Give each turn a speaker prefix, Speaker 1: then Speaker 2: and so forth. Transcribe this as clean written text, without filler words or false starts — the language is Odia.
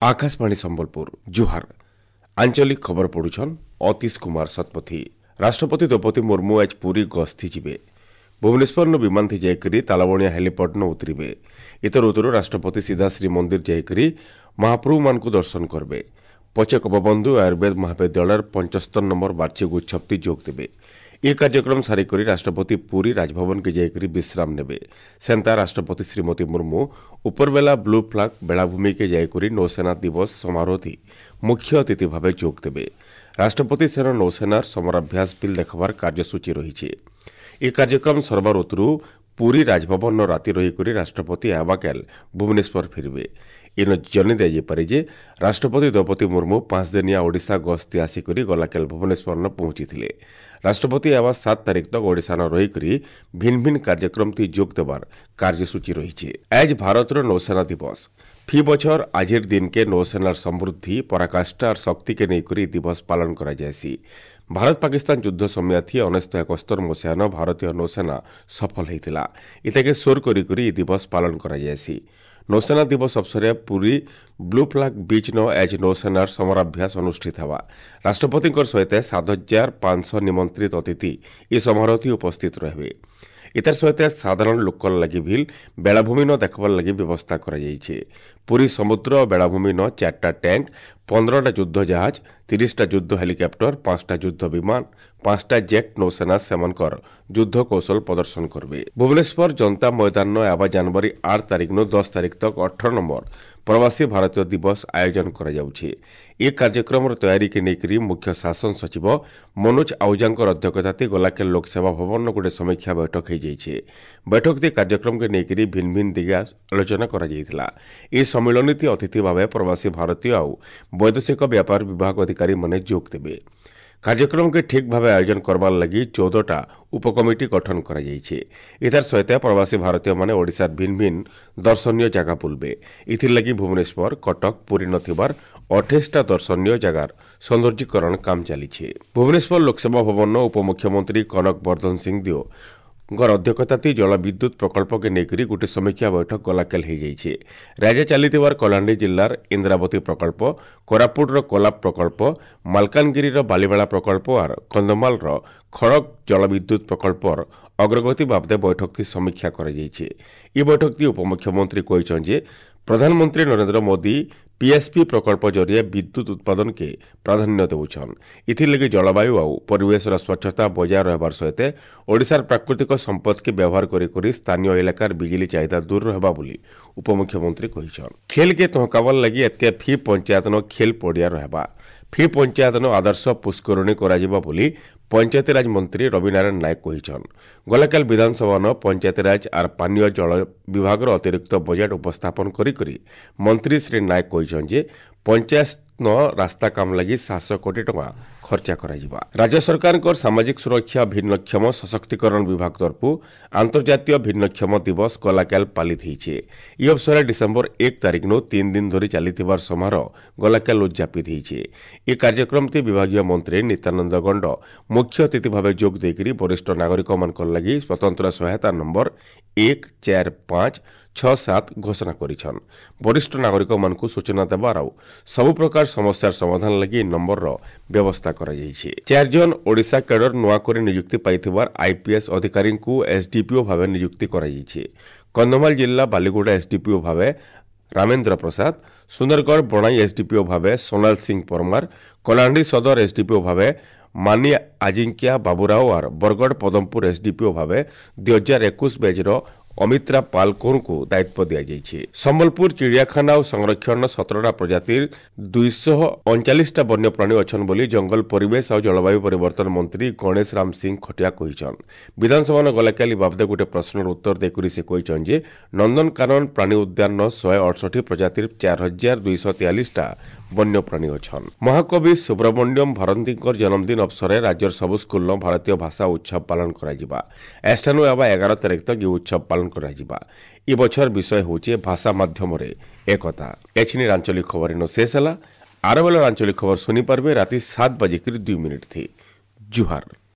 Speaker 1: ଆକାଶବାଣୀ ସମ୍ବଲପୁର, ଜୁହାର। ଆଞ୍ଚଳିକ ଖବର ପଢୁଛନ୍ ଅତୀଶ କୁମାର ଶତପଥୀ। ରାଷ୍ଟ୍ରପତି ଦ୍ରୌପଦୀ ମୁର୍ମୁ ଆଜ ପୁରୀ ଗସ୍ତି ଯିବେ। ଭୁବନେଶ୍ୱରନୁ ବିମାନଥି ଯାଇକରି ତାଳବଣିଆ ହେଲିପଡ୍ନ ଉତରିବେ। ଇତର ଉତରୁ ରାଷ୍ଟ୍ରପତି ସିଧା ଶ୍ରୀମନ୍ଦିର ଯାଇକରି ମହାପ୍ରଭୁମାନଙ୍କୁ ଦର୍ଶନ କରିବେ। ପଛେ ଗୋପବନ୍ଧୁ ଆୟୁର୍ବେଦ ମହାବିଦ୍ୟାଳୟର 75 ନମ୍ବର ବାର୍ଷିକ ଉତ୍ସବଟି ଯୋଗ ଦେବେ। ଏ କାର୍ଯ୍ୟକ୍ରମ ସାରିକରି ରାଷ୍ଟ୍ରପତି ପୁରୀ ରାଜଭବନକେ ଯାଇକରି ବିଶ୍ରାମ ନେବେ। ସେନ୍ତା ରାଷ୍ଟ୍ରପତି ଶ୍ରୀମତୀ ମୁର୍ମୁ ଉପରବେଲା ବ୍ଲୁ ଫ୍ଲାଗ ବେଳାଭୂମିକେ ଯାଇକରି ନୌସେନା ଦିବସ ସମାରୋହଥି ମୁଖ୍ୟ ଅତିଥି ଭାବେ ଯୋଗ ଦେବେ। ରାଷ୍ଟ୍ରପତି ସେନ ନୌସେନାର ସମରାଭ୍ୟାସ ବିଲ୍ ଦେଖବାର କାର୍ଯ୍ୟସୂଚୀ ରହିଛି। ଏ କାର୍ଯ୍ୟକ୍ରମ ସରବାର ଉତରୁ ପୁରୀ ରାଜଭବନ ରାତି ରହିକରି ରାଷ୍ଟ୍ରପତି ଆବାକେଲ ଭୁବନେଶ୍ୱର ଫେରିବେ। ଇନ ଜନି ଦିଆଯାଇପାରେ ଯେ ରାଷ୍ଟ୍ରପତି ଦ୍ରୌପଦୀ ମୁର୍ମୁ 5 ଦିନିଆ ଓଡ଼ିଶା ଗସ୍ତି ଆସିକରି ଗଲାକେଲ ଭୁବନେଶ୍ୱରନ ପହଞ୍ଚିଥିଲେ। ରାଷ୍ଟ୍ରପତି ଆବା 7 ତାରିଖ ତକ ଓଡ଼ିଶାନ ରହିକରି ଭିନ୍ନ ଭିନ୍ନ କାର୍ଯ୍ୟକ୍ରମଥି ଯୋଗ ଦେବାର କାର୍ଯ୍ୟସୂଚୀ ରହିଛି। ଆଜ ଭାରତର ନୌସେନା ଦିବସ। ଫି ବଛର ଆଜିର ଦିନକେ ନୌସେନାର ସମୃଦ୍ଧି, ପରାକାଷ୍ଠା ଆର୍ ଶକ୍ତିକେ ନେଇକରି ଦିବସ ପାଳନ କରାଯାଏସି। ଭାରତ ପାକିସ୍ତାନ ଯୁଦ୍ଧ ସମୟାଥି 1971 ମସିହାନ ଭାରତୀୟ ନୌସେନା ସଫଳ ହେଇଥିଲା। ଇତାକେ ସୋର କରି କରି ଇ ଦିବସ ପାଳନ କରାଯାଏସି। ନୌସେନା ଦିବସ ଅବସରେ ପୁରୀ ବ୍ଲୁ ଫ୍ଲାଗ ବିଚ୍ ନ ଆଜ ନୌସେନାର ସମରାଭ୍ୟାସ ଅନୁଷ୍ଠିତ ହେବା। ରାଷ୍ଟ୍ରପତିଙ୍କର ସହିତ 7500 ନିମନ୍ତ୍ରିତ ଅତିଥି ଏ ସମାରୋହଥି ଉପସ୍ଥିତ ରହିବେ। ଇତାର ସହିତ ସାଧାରଣ ଲୋକର ଲାଗି ଭିଲ୍ ବେଳାଭୂମି ନ ଦେଖବାର ଲାଗି ବ୍ୟବସ୍ଥା କରାଯାଇଛି। ପୁରୀ ସମୁଦ୍ର ବେଳାଭୂମି ନ 4ଟା ଟ୍ୟାଙ୍କ, 15ଟା ଯୁଦ୍ଧ ଜାହାଜ, 30ଟା ଯୁଦ୍ଧ ହେଲିକପ୍ଟର, 5ଟା ଯୁଦ୍ଧ ବିମାନ, 5ଟା ଜେଟ୍ ନୌସେନା ସେମାନଙ୍କର ଯୁଦ୍ଧ କୌଶଳ ପ୍ରଦର୍ଶନ କରିବେ। ଭୁବନେଶ୍ୱର ଜନତା ମଇଦାନ ଆବା ଜାନୁଆରୀ 8 ତାରିଖ 10 ତାରିଖ ତକ 18 ନମ୍ବର ପ୍ରବାସୀ ଭାରତୀୟ ଦିବସ ଆୟୋଜନ କରାଯାଉଛି। ଏ କାର୍ଯ୍ୟକ୍ରମର ତୟାରୀକେ ନେଇକରି ମୁଖ୍ୟ ଶାସନ ସଚିବ ମନୋଜ ଆହୁଜାଙ୍କର ଅଧ୍ୟକ୍ଷତାରେ ଗଲାକେଲ ଲୋକସେବା ଭବନର ଗୋଟେ ସମୀକ୍ଷା ବୈଠକ ହୋଇଯାଇଛି। ବୈଠକରେ କାର୍ଯ୍ୟକ୍ରମକେ ନେଇକରି ଭିନ୍ନ ଭିନ୍ନ ଦିଗେ ଆଲୋଚନା କରାଯାଇଥିଲା। ଏହି ସମ୍ମିଳନୀତି ଅତିଥି ଭାବେ ପ୍ରବାସୀ ଭାରତୀୟ ଆଉ ବୈଦେଶିକ ବ୍ୟାପାର ବିଭାଗ ଅଧିକାରୀମାନେ ଯୋଗ ଦେବେ। କାର୍ଯ୍ୟକ୍ରମକେ ଠିକ୍ ଭାବେ ଆୟୋଜନ କରବାର ଲାଗି 14ଟା ଉପକମିଟି ଗଠନ କରାଯାଇଛି। ଏତାର ସହିତ ପ୍ରବାସୀ ଭାରତୀୟମାନେ ଓଡ଼ିଶାର ଭିନ୍ନ ଭିନ୍ନ ଦର୍ଶନୀୟ ଜାଗା ବୁଲବେ। ଏଥିର୍ଲାଗି ଭୁବନେଶ୍ୱର, କଟକ, ପୁରୀ ନଥିବାର 28ଟା ଦର୍ଶନୀୟ ଜାଗାର ସୌନ୍ଦର୍ଯ୍ୟକରଣ କାମ ଚାଲିଛି। ଭୁବନେଶ୍ୱର ଲୋକସେବା ଭବନ ଉପମୁଖ୍ୟମନ୍ତ୍ରୀ କନକ ବର୍ଦ୍ଧନ ସିଂଦେଓ ଙ୍କର ଅଧ୍ୟକ୍ଷତାତି ଜଳବିଦ୍ୟୁତ୍ ପ୍ରକଳ୍ପକେ ନେଇକରି ଗୋଟିଏ ସମୀକ୍ଷା ବୈଠକ ଗଲାକାଲି ହୋଇଯାଇଛି। ରାଜ୍ୟ ଚାଲିଥିବାର କଳାହାଣ୍ଡି ଜିଲ୍ଲାର ଇନ୍ଦ୍ରାବତୀ ପ୍ରକଳ୍ପ, କୋରାପୁଟର କୋଲାବ ପ୍ରକଳ୍ପ, ମାଲକାନଗିରିର ବାଲିମେଳା ପ୍ରକଳ୍ପ ଆର୍ କନ୍ଧମାଳର ଖଡ଼ଗ ଜଳବିଦ୍ୟୁତ୍ ପ୍ରକଳ୍ପର ଅଗ୍ରଗତି ବାବଦେ ବୈଠକଟି ସମୀକ୍ଷା କରାଯାଇଛି। ଏହି ବୈଠକଟି ଉପମୁଖ୍ୟମନ୍ତ୍ରୀ କହିଛନ୍ତି ଯେ ପ୍ରଧାନମନ୍ତ୍ରୀ ନରେନ୍ଦ୍ର ମୋଦି ପିଏସ୍ପି ପ୍ରକଳ୍ପ ଜରିଆ ବିଦ୍ୟୁତ୍ ଉତ୍ପାଦନକେ ପ୍ରାଧାନ୍ୟ ଦେଉଛନ୍। ଏଥିର୍ଲାଗି ଜଳବାୟୁ ଆଉ ପରିବେଶର ସ୍ୱଚ୍ଛତା ବଜାୟ ରହିବାର ସହିତ ଓଡ଼ିଶାର ପ୍ରାକୃତିକ ସମ୍ପଦକେ ବ୍ୟବହାର କରି କରି ସ୍ଥାନୀୟ ଇଲାକାର ବିଜୁଳି ଚାହିଦା ଦୂର ହେବା ବୋଲି ଉପମୁଖ୍ୟମନ୍ତ୍ରୀ କହିଛନ୍। ଖେଲ୍କେ ତହକାବାର ଲାଗି ଏତ୍କେ ଫି ପଞ୍ଚାୟତନ ଖେଲ୍ ପଡ଼ିଆ ରହିବା। ଫି ପଞ୍ଚାୟତନ ଆଦର୍ଶ ପୁଷ୍କରିଣୀ କରାଯିବ ବୋଲି ପଞ୍ଚାୟତିରାଜ ମନ୍ତ୍ରୀ ରବିନାରାୟଣ ନାୟକ କହିଛନ୍। ଗଲାକାଲି ବିଧାନସଭାନ ପଞ୍ଚାୟତିରାଜ ଆର୍ ପାନୀୟ ଜଳ ବିଭାଗର ଅତିରିକ୍ତ ବଜେଟ୍ ଉପସ୍ଥାପନ କରି କରି ମନ୍ତ୍ରୀ ଶ୍ରୀ ନାୟକ କହିଛନ୍ ଯେ ପଞ୍ଚାୟତ ରାସ୍ତା କାମ ଲାଗି 700 କୋଟି ଟଙ୍କା ଖର୍ଚ୍ଚ କରାଯିବା। ରାଜ୍ୟ ସରକାରଙ୍କର ସାମାଜିକ ସୁରକ୍ଷା ଭିନ୍ନକ୍ଷମ ସଶକ୍ତିକରଣ ବିଭାଗ ତରଫରୁ ଆନ୍ତର୍ଜାତୀୟ ଭିନ୍ନକ୍ଷମ ଦିବସ ଗଲାକାଲ ପାଳିତ ହୋଇଛି। ଏହି ଅବସରରେ ଡିସେମ୍ବର 1 ତାରିଖରୁ 3 ଦିନ ଧରି ଚାଲିଥିବାର ସମାରୋହ ଗଲାକାଲ ଉଦଯାପିତ ହୋଇଛି। ଏହି କାର୍ଯ୍ୟକ୍ରମଟି ବିଭାଗୀୟ ମନ୍ତ୍ରୀ ନିତ୍ୟାନନ୍ଦ ଗଣ୍ଡ ମୁଖ୍ୟ ଅତିଥି ଭାବେ ଯୋଗ ଦେଇକରି ବରିଷ୍ଠ ନାଗରିକମାନଙ୍କ ଲାଗି ସ୍ୱତନ୍ତ୍ର ସହାୟତା ନମ୍ବର 1 4 5 6 7 ଘୋଷଣା କରିଛନ୍। ବରିଷ୍ଠ ନାଗରିକମାନଙ୍କୁ ସୂଚନା ଦେବାର ଆଉ ସବୁ ପ୍ରକାର ସମସ୍ୟାର ସମାଧାନ ଲାଗି ଏହି ନମ୍ବରର ବ୍ୟବସ୍ଥା କରାଯାଇଛି। 4 ଜଣ ଓଡ଼ିଶା କ୍ୟାଡର ନୂଆ କରି ନିଯୁକ୍ତି ପାଇଥିବାର ଆଇପିଏସ୍ ଅଧିକାରୀଙ୍କୁ ଏସ୍ଡିପିଓ ଭାବେ ନିଯୁକ୍ତି କରାଯାଇଛି। କନ୍ଧମାଳ ଜିଲ୍ଲା ବାଲିଗୁଡ଼ା ଏସ୍ଡିପିଓ ଭାବେ ରାମେନ୍ଦ୍ର ପ୍ରସାଦ, ସୁନ୍ଦରଗଡ଼ ବଣାଇ ଏସ୍ଡିପିଓ ଭାବେ ସୋନାଲ ସିଂ ପରମାର, କଳାହାଣ୍ଡି ସଦର ଏସ୍ଡିପିଓ ଭାବେ ମାନି ଆଜିଙ୍କ୍ୟା ବାବୁରାଓ ଆର୍ ବରଗଡ଼ ପଦମପୁର ଏସ୍ଡିପିଓ ଭାବେ 2021 ବ୍ୟାଚ୍ର ଅମିତ୍ରା ପାଲକୋରଙ୍କୁ ଦାୟିତ୍ୱ ଦିଆଯାଇଛି। ସମ୍ବଲପୁର ଚିଡ଼ିଆଖାନା ଓ ସଂରକ୍ଷଣ 17ଟା ପ୍ରଜାତିର 239ଟା ବନ୍ୟପ୍ରାଣୀ ଅଛନ୍ ବୋଲି ଜଙ୍ଗଲ ପରିବେଶ ଆଉ ଜଳବାୟୁ ପରିବର୍ତ୍ତନ ମନ୍ତ୍ରୀ ଗଣେଶ ରାମ ସିଂ ଖଟିଆ କହିଛନ୍। ବିଧାନସଭାନ ଗଲାକାଲି ବାବଦେ ଗୋଟେ ପ୍ରଶ୍ନର ଉତ୍ତର ଦେଇକରି ସେ କହିଛନ୍ ଯେ ନନ୍ଦନକାନନ ପ୍ରାଣୀ ଉଦ୍ୟାନର 168 ପ୍ରଜାତିର 4243ଟା ବନ୍ୟପ୍ରାଣୀ ଅଛନ୍। ମହାକବି ସୁବ୍ରମଣ୍ୟମ ଭାରତୀଙ୍କର ଜନ୍ମଦିନ ଅବସରରେ ରାଜ୍ୟର ସବୁ ସ୍କୁଲର ଭାରତୀୟ ଭାଷା ଉତ୍ସବ ପାଳନ କରାଯିବା। ଏଷ୍ଠାନୁ ହେବା 11 ତାରିଖ ତକ ଏହି ଉତ୍ସବ ପାଳନ କରାଯିବା। ଏ ବଛର ବିଷୟ ହେଉଛି ଭାଷା ମାଧ୍ୟମରେ ଏକତା। ଏଛିନି ଆଞ୍ଚଳିକ ଖବର ଇନ ଶେଷ ହେଲା। ଆର ବେଳର ଆଞ୍ଚଳିକ ଖବର ଶୁଣିପାରିବେ ରାତି 7:02 ଥି। ଜୁହାର।